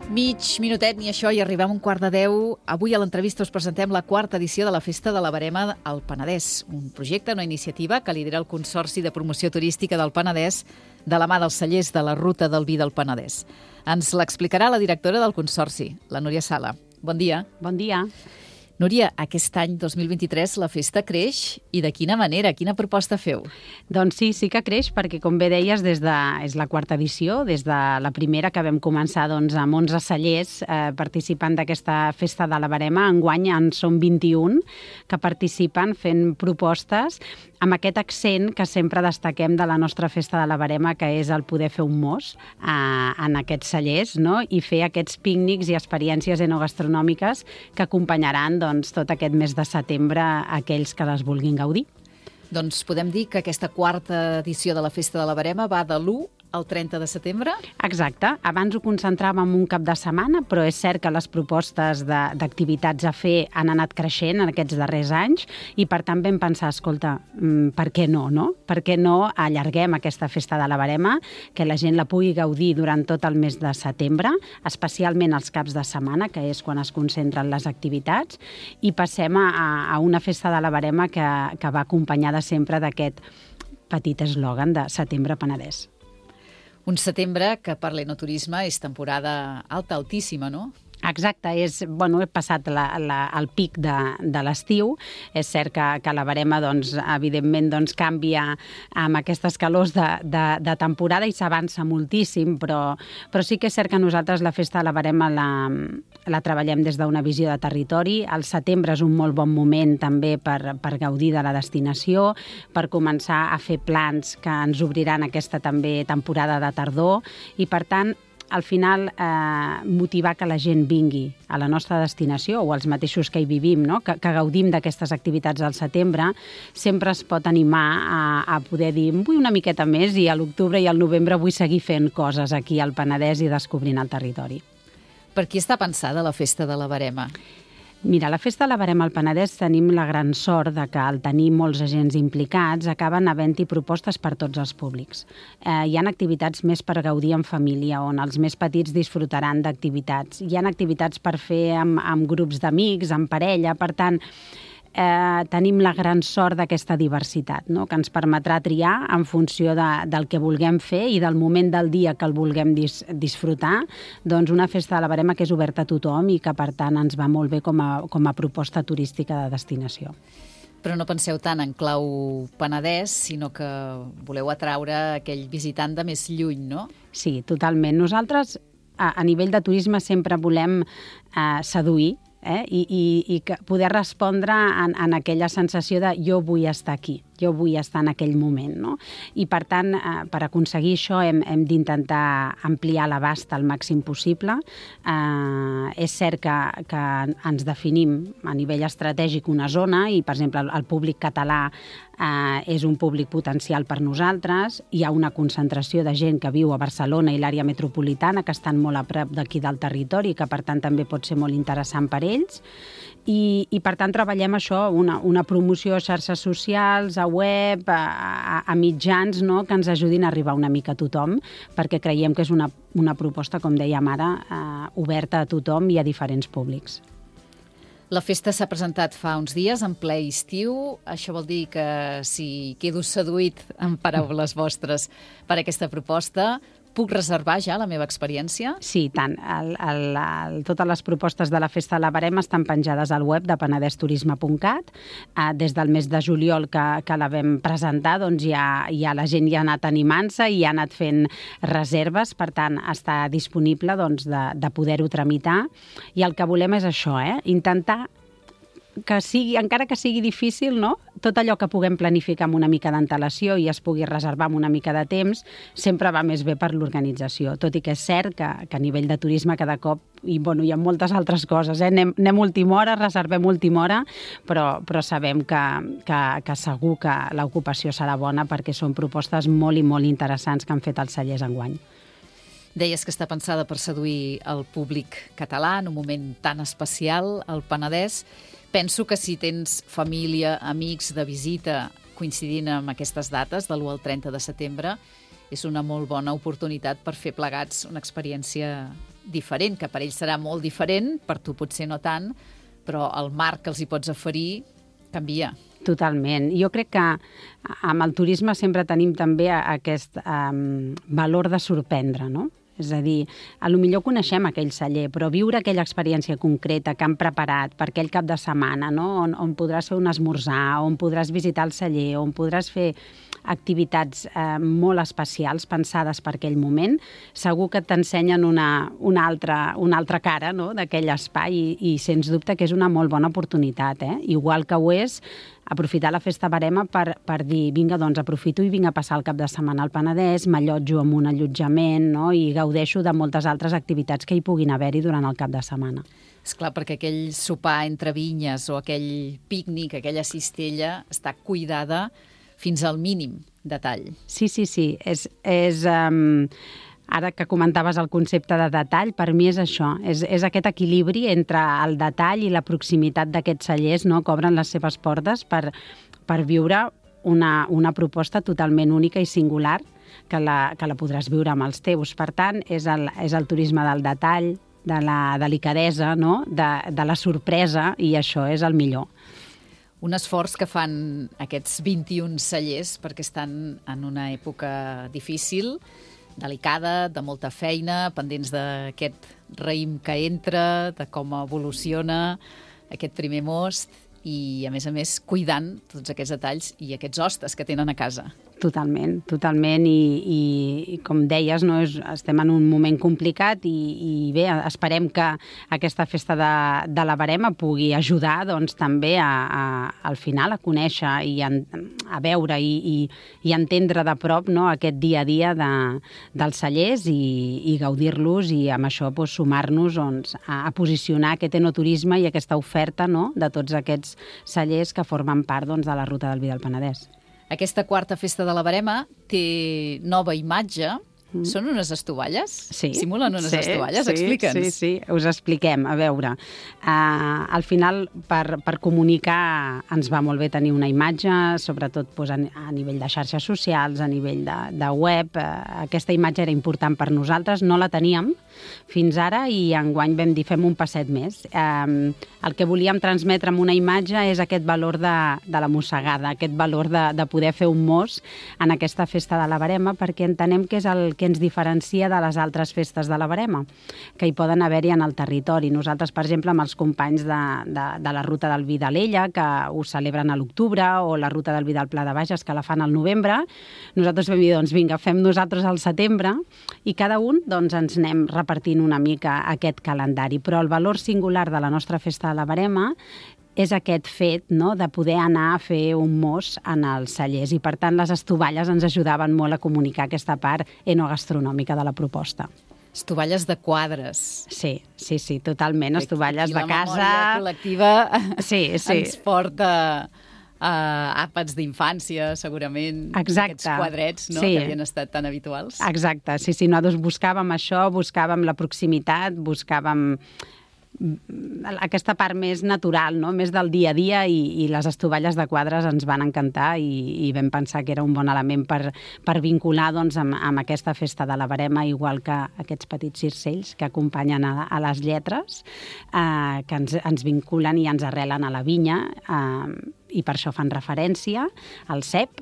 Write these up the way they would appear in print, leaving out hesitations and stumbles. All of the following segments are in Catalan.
Mig minutet, ni això, i arribem a 9:45. Avui a l'entrevista us presentem la quarta edició de la Festa de la Verema al Penedès, un projecte, una iniciativa que lidera el Consorci de Promoció Turística del Penedès de la mà dels cellers de la Ruta del Vi del Penedès. Ens l'explicarà la directora del Consorci, la Núria Sala. Bon dia. Bon dia. Núria, aquest any 2023 la festa creix i de quina manera? Quina proposta feu? Doncs sí que creix perquè, com bé deies, és la quarta edició, des de la primera que vam començar amb 11 cellers participant d'aquesta Festa de la Verema. Enguany en són 21 que participen fent propostes amb aquest accent que sempre destaquem de la nostra Festa de la Verema, que és el poder fer un mos en aquests cellers, no? I fer aquests pícnics i experiències enogastronòmiques que acompanyaran tot aquest mes de setembre a aquells que les vulguin gaudir. Doncs podem dir que aquesta quarta edició de la Festa de la Verema va de l'1 al 30 de setembre? Exacte. Abans ho concentràvem un cap de setmana, però és cert que les propostes d'activitats a fer han anat creixent en aquests darrers anys i, per tant, vam pensar, escolta, per què no? Per què no allarguem aquesta Festa de la Verema, que la gent la pugui gaudir durant tot el mes de setembre, especialment els caps de setmana, que és quan es concentren les activitats, i passem a una Festa de la Verema que va acompanyada sempre d'aquest petit eslògan de Setembre Penedès. Un setembre que per l'enoturisme és temporada alta, altíssima, no? Exacte, he passat el pic de l'estiu. És cert que la Verema, evidentment, canvia amb aquestes calors de temporada i s'avança moltíssim, però sí que és cert que nosaltres la Festa de la Verema la treballem des d'una visió de territori. El setembre és un molt bon moment també per gaudir de la destinació, per començar a fer plans que ens obriran aquesta també temporada de tardor i, per tant, al final motivar que la gent vingui a la nostra destinació o els mateixos que hi vivim, no? que gaudim d'aquestes activitats al setembre, sempre es pot animar a poder dir vull una miqueta més i a l'octubre i al novembre vull seguir fent coses aquí al Penedès i descobrint el territori. Per qui està pensada la Festa de la Verema? Mira, la Festa de la Verema al Penedès tenim la gran sort de que al tenir molts agents implicats acaben havent-hi propostes per tots els públics. Hi ha activitats més per gaudir en família, on els més petits disfrutaran d'activitats. Hi ha activitats per fer amb grups d'amics, en parella, per tant, tenim la gran sort d'aquesta diversitat, no? Que ens permetrà triar en funció del que vulguem fer i del moment del dia que el vulguem disfrutar, una Festa de la Verema que és oberta a tothom i que, per tant, ens va molt bé com a proposta turística de destinació. Però no penseu tant en clau Penedès, sinó que voleu atraure aquell visitant de més lluny, no? Sí, totalment. Nosaltres, a nivell de turisme, sempre volem seduir i poder respondre en aquella sensació de jo vull estar aquí, jo vull estar en aquell moment, no? I, per tant, per aconseguir això hem d'intentar ampliar l'abast al màxim possible. És cert que ens definim a nivell estratègic una zona i, per exemple, el públic català és un públic potencial per nosaltres. Hi ha una concentració de gent que viu a Barcelona i l'àrea metropolitana que estan molt a prop d'aquí del territori i que, per tant, també pot ser molt interessant per ells. I per tant, treballem això, una promoció a xarxes socials, a web, a mitjans, no?, que ens ajudin a arribar una mica a tothom, perquè creiem que és una proposta, com dèiem ara, oberta a tothom i a diferents públics. La festa s'ha presentat fa uns dies, en ple estiu. Això vol dir que si quedo seduït, en paraules vostres, per aquesta proposta, puc reservar ja la meva experiència? Sí, tant. Totes les propostes de la Festa de la Verema estan penjades al web de penedesturisme.cat. Des del mes de juliol que la vam presentar, ja la gent ja ha anat animant-se i ha anat fent reserves, per tant, està disponible de poder-ho tramitar. I el que volem és això, intentar que sigui, encara que sigui difícil, no?, tot allò que puguem planificar amb una mica d'antelació i es pugui reservar amb una mica de temps, sempre va més bé per l'organització. Tot i que és cert que a nivell de turisme cada cop, hi ha moltes altres coses, anem última hora, reservem última hora, però sabem que segur que l'ocupació serà bona perquè són propostes molt i molt interessants que han fet els cellers enguany. Deies que està pensada per seduir el públic català en un moment tan especial, al Penedès. Penso que si tens família, amics de visita coincidint amb aquestes dates, de l'1 al 30 de setembre, és una molt bona oportunitat per fer plegats una experiència diferent, que per ells serà molt diferent, per tu potser no tant, però el marc que els hi pots oferir canvia. Totalment. Jo crec que amb el turisme sempre tenim també aquest valor de sorprendre, no? És a dir, potser coneixem aquell celler, però viure aquella experiència concreta que han preparat per aquell cap de setmana, no? On podràs fer un esmorzar, on podràs visitar el celler, on podràs fer activitats molt especials pensades per aquell moment, segur que t'ensenyen una altra cara, no? D'aquell espai i sens dubte que és una molt bona oportunitat. Igual que ho és aprofitar la Festa Verema per dir, vinga, doncs aprofito i vinc a passar el cap de setmana al Penedès, m'allotjo en un allotjament, no? I gaudeixo de moltes altres activitats que hi puguin haver-hi durant el cap de setmana. Esclar, perquè aquell sopar entre vinyes o aquell pícnic, aquella cistella, està cuidada fins al mínim detall. Sí. Ara que comentaves el concepte de detall, per mi és això, és aquest equilibri entre el detall i la proximitat d'aquests cellers, no?, que obren les seves portes per viure una proposta totalment única i singular que la podràs viure amb els teus. Per tant, és el turisme del detall, de la delicadesa, no?, de la sorpresa, i això és el millor. Un esforç que fan aquests 21 cellers perquè estan en una època difícil, delicada, de molta feina, pendents d'aquest raïm que entra, de com evoluciona aquest primer most i, a més, cuidant tots aquests detalls i aquests hostes que tenen a casa. Totalment. I com deies, no, estem en un moment complicat i bé, esperem que aquesta festa de la Verema pugui ajudar doncs, també al final a conèixer i a veure i entendre de prop, no, aquest dia a dia dels cellers i gaudir-los i amb això doncs, sumar-nos doncs, a posicionar aquest enoturisme i aquesta oferta, no, de tots aquests cellers que formen part doncs, de la Ruta del Vi del Penedès. Aquesta quarta festa de la Verema té nova imatge. Són unes estovalles? Sí. Simulen unes estovalles? Explica'ns. Sí, us expliquem. A veure, al final, per comunicar, ens va molt bé tenir una imatge, sobretot doncs, a nivell de xarxes socials, a nivell de web. Aquesta imatge era important per nosaltres, no la teníem fins ara i enguany vam dir fem un passet més. El que volíem transmetre amb una imatge és aquest valor de la mossegada, aquest valor de poder fer un mos en aquesta festa de la Verema, perquè entenem que és el que ens diferencia de les altres festes de la Verema, que hi poden haver-hi en el territori. Nosaltres, per exemple, amb els companys de la Ruta del Vi d'Alella, que ho celebren a l'octubre, o la Ruta del Vi del Pla de Bages, que la fan al novembre, nosaltres vam dir, doncs vinga, fem nosaltres al setembre, i cada un doncs, ens anem repartint una mica aquest calendari. Però el valor singular de la nostra festa de la Verema és aquest fet, no?, de poder anar a fer un mos en els cellers i, per tant, les estovalles ens ajudaven molt a comunicar aquesta part enogastronòmica de la proposta. Estovalles de quadres. Sí, totalment, estovalles de casa. La memòria col·lectiva ens porta a àpats d'infància, segurament. Exacte. Aquests quadrets, no?, que havien estat tan habituals. Exacte, sí, nosaltres buscàvem això, buscàvem la proximitat, buscàvem aquesta part més natural, no?, més del dia a dia, i les estovalles de quadres ens van encantar i vam pensar que era un bon element per vincular doncs, amb aquesta festa de la Verema, igual que aquests petits circells que acompanyen a les lletres, que ens vinculen i ens arrelen a la vinya, i per això fan referència al cep,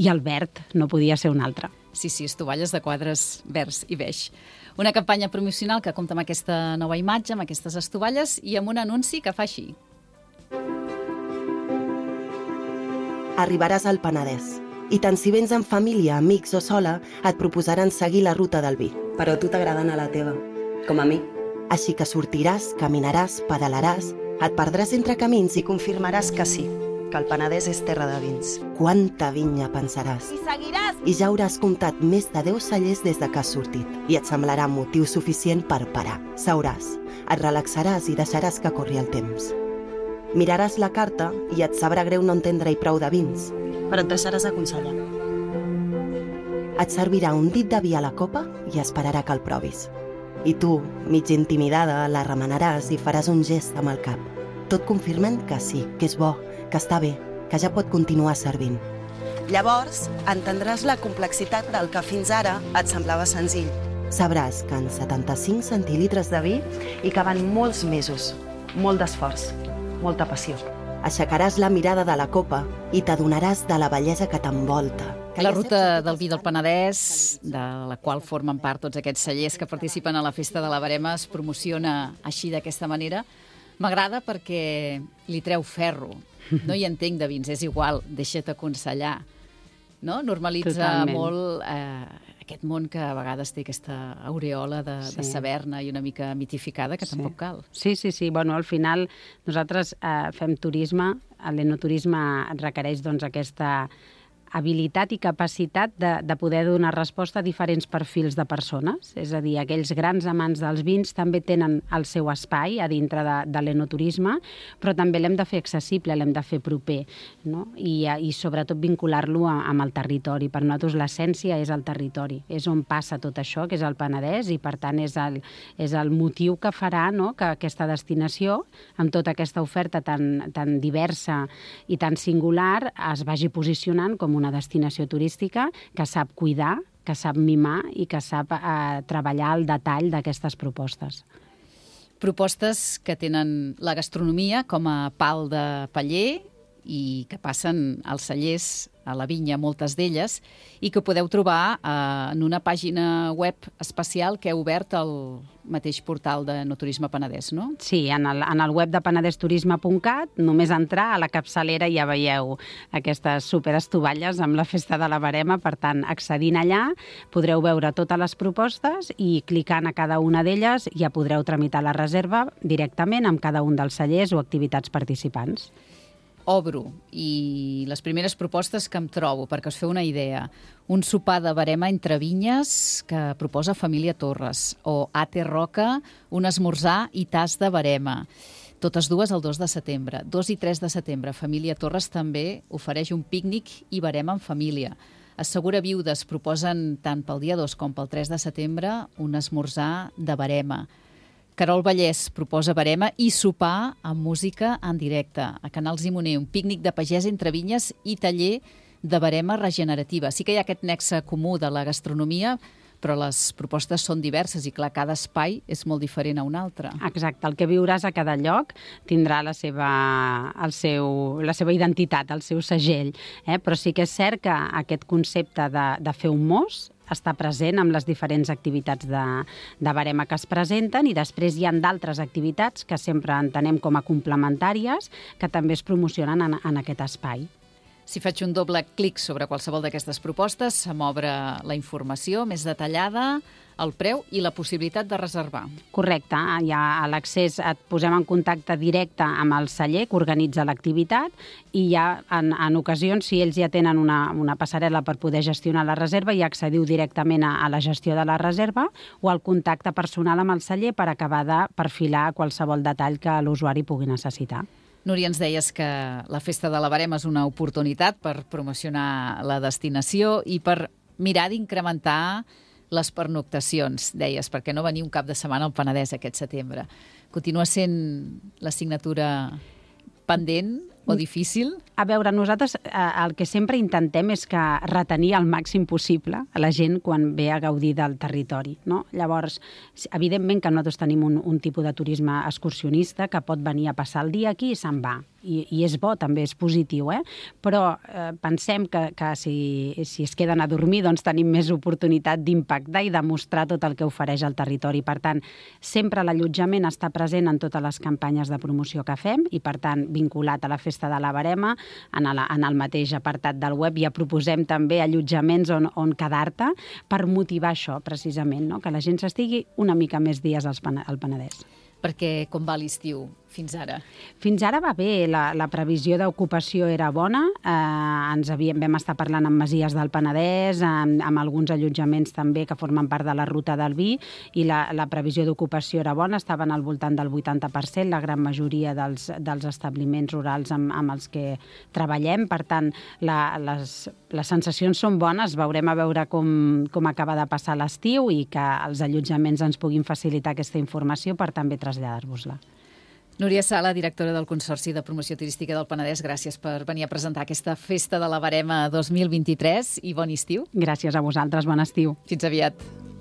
i el verd no podia ser un altre. Sí, estovalles de quadres verds i beix. Una campanya promocional que compta amb aquesta nova imatge, amb aquestes estovalles i amb un anunci que fa així. Arribaràs al Penedès i tant si vens amb família, amics o sola, et proposaran seguir la Ruta del Vi. Però a tu t'agrada anar a la teva, com a mi. Així que sortiràs, caminaràs, pedalaràs, et perdràs entre camins i confirmaràs que sí, que el Penedès és terra de vins. Quanta vinya pensaràs. I seguiràs! I ja hauràs comptat més de 10 cellers des de que has sortit. I et semblarà motiu suficient per parar. Seuràs, et relaxaràs i deixaràs que corri el temps. Miraràs la carta i et sabrà greu no entendre-hi prou de vins. Però et deixaràs aconsellar. Et servirà un dit de vi a la copa i esperarà que el provis. I tu, mig intimidada, la remenaràs i faràs un gest amb el cap. Tot confirmant que sí, que és bo, que està bé, que ja pot continuar servint. Llavors, entendràs la complexitat del que fins ara et semblava senzill. sabràs que en 75 centilitres de vi hi caben molts mesos, molt d'esforç, molta passió. aixecaràs la mirada de la copa i t'adonaràs de la bellesa que t'envolta. La ruta del vi del Penedès, de la qual formen part tots aquests cellers que participen a la Festa de la Verema, es promociona així, d'aquesta manera. M'agrada perquè li treu ferro. No hi entenc de vins, és igual, deixa't aconsellar. No? Normalitza Totalment. molt aquest món que a vegades té aquesta aureola de saber-ne i una mica mitificada, que tampoc cal. Sí. Bueno, al final nosaltres fem turisme, l'enoturisme requereix doncs, aquesta habilitat i capacitat de poder donar resposta a diferents perfils de persones. És a dir, aquells grans amants dels vins també tenen el seu espai a dintre de l'enoturisme, però també l'hem de fer accessible, l'hem de fer proper, no? I sobretot vincular-lo amb el territori. Per nosaltres l'essència és el territori, és on passa tot això, que és el Penedès, i per tant és el motiu que farà, no?, que aquesta destinació, amb tota aquesta oferta tan diversa i tan singular, es vagi posicionant com una destinació turística que sap cuidar, que sap mimar i que sap treballar al detall d'aquestes propostes. Propostes que tenen la gastronomia com a pal de paller i que passen als cellers, a la vinya, moltes d'elles, i que podeu trobar en una pàgina web especial que heu obert al mateix portal de No Turisme Penedès, no? Sí, en el web de penedesturisme.cat, només entrar a la capçalera ja veieu aquestes superestovalles amb la Festa de la Verema, per tant, accedint allà podreu veure totes les propostes i clicant a cada una d'elles ja podreu tramitar la reserva directament amb cada un dels cellers o activitats participants. Obro, i les primeres propostes que em trobo, perquè us feu una idea. Un sopar de verema entre vinyes que proposa Família Torres, o Ate Roca, un esmorzar i tas de verema. Totes dues el 2 de setembre. 2 i 3 de setembre. Família Torres també ofereix un pícnic i verema en família. Assegura Viudes proposen tant pel dia 2 com pel 3 de setembre un esmorzar de verema. Carol Vallès proposa verema i sopar amb música en directe. A Canals i Moner, un pícnic de pagès entre vinyes i taller de verema regenerativa. Sí que hi ha aquest nexe comú de la gastronomia, però les propostes són diverses i, clar, cada espai és molt diferent a un altre. Exacte, el que viuràs a cada lloc tindrà la seva identitat, el seu segell. Però sí que és cert que aquest concepte de fer un mos està present amb les diferents activitats de verema que es presenten, i després hi ha d'altres activitats que sempre entenem com a complementàries que també es promocionen en aquest espai. Si faig un doble clic sobre qualsevol d'aquestes propostes, se m'obre la informació més detallada, el preu i la possibilitat de reservar. Correcte, ja a l'accés et posem en contacte directe amb el celler que organitza l'activitat, i ja en ocasions, si ells ja tenen una passarel·la per poder gestionar la reserva, ja accediu directament a la gestió de la reserva o al contacte personal amb el celler per acabar de perfilar qualsevol detall que l'usuari pugui necessitar. Núria, ens deies que la Festa de la Verema és una oportunitat per promocionar la destinació i per mirar d'incrementar les pernoctacions, deies, perquè no venir un cap de setmana al Penedès aquest setembre. Continua sent l'assignatura pendent o difícil? A veure, nosaltres el que sempre intentem és que retenir el màxim possible a la gent quan ve a gaudir del territori, no? Llavors, evidentment que nosaltres tenim un tipus de turisme excursionista que pot venir a passar el dia aquí i se'n va. I és bo, també és positiu, però pensem que si es queden a dormir doncs tenim més oportunitat d'impactar i de mostrar tot el que ofereix el territori. Per tant, sempre l'allotjament està present en totes les campanyes de promoció que fem i, per tant, vinculat a la Festa de la Verema, en el mateix apartat del web ja proposem també allotjaments on quedar-te per motivar això, precisament, no? Que la gent s'estigui una mica més dies al Penedès. Perquè com va l'estiu fins ara? Fins ara va bé, la previsió d'ocupació era bona, vam estar parlant amb masies del Penedès, amb alguns allotjaments també que formen part de la ruta del vi, i la previsió d'ocupació era bona, estaven al voltant del 80%, la gran majoria dels establiments rurals amb els que treballem. Per tant, les sensacions són bones, veurem a veure com acaba de passar l'estiu i que els allotjaments ens puguin facilitar aquesta informació per també traslladar-vos-la. Núria Sala, directora del Consorci de Promoció Turística del Penedès, gràcies per venir a presentar aquesta Festa de la Verema 2023 i bon estiu. Gràcies a vosaltres, bon estiu. Fins aviat.